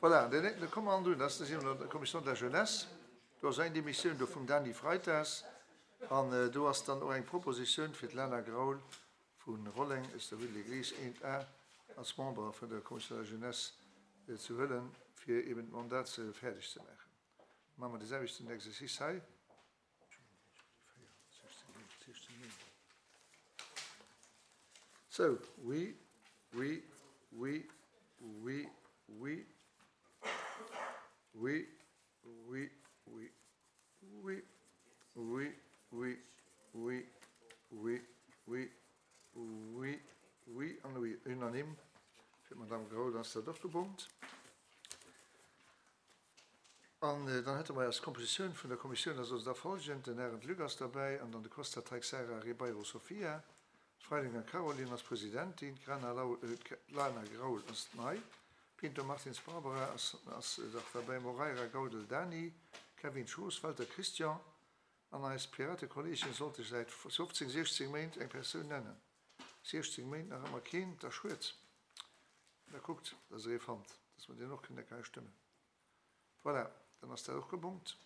Voilà, da komme mer an un, dat ass der Commission de la Jeunesse. Do ass eng Demissioun do vum Dany Freitas an do ass dann och eng Propositioun fir d'Lana Graul vu Rolleng aus der Rue de l'Église 1 A als Member vun der Commission de la Jeunesse ze huelen, fir eben d'Mandat ze fäerdeg ze maachen. Maache mer dee selwechten Exercice hei. Sou, oui, oui, oui, oui, oui, oui, oui, oui, oui, oui, oui, oui, oui, oui, oui, oui an oui. Unanime fir d'Madame Graul ass dat och gebongt. An dann hätte mer als Kompositioun vun der Kommissioun, dat ass also da folgend, den Arendt Luc ass derbäi an dann de Costa Teixeira Ribeiro Sofia, d'Freilinger Caroline als Presidentin, d'Grana Lau, d'Lana Graul ass nei, Pinto Martins Barbara ass ass dach derbäi, Moreira Gaudel Dany, Kevin Schoos, Welter Christian an eis Piratekolleegen sollte säit 15, 16 Méint eng Persoun nennen. 16 Méint nach ëmmer keen, da schued. Da kuckt, dass Der ee fannt, dass mer deen och kënnen hei stëmmen. Voilà, dann ass dat och gebongt.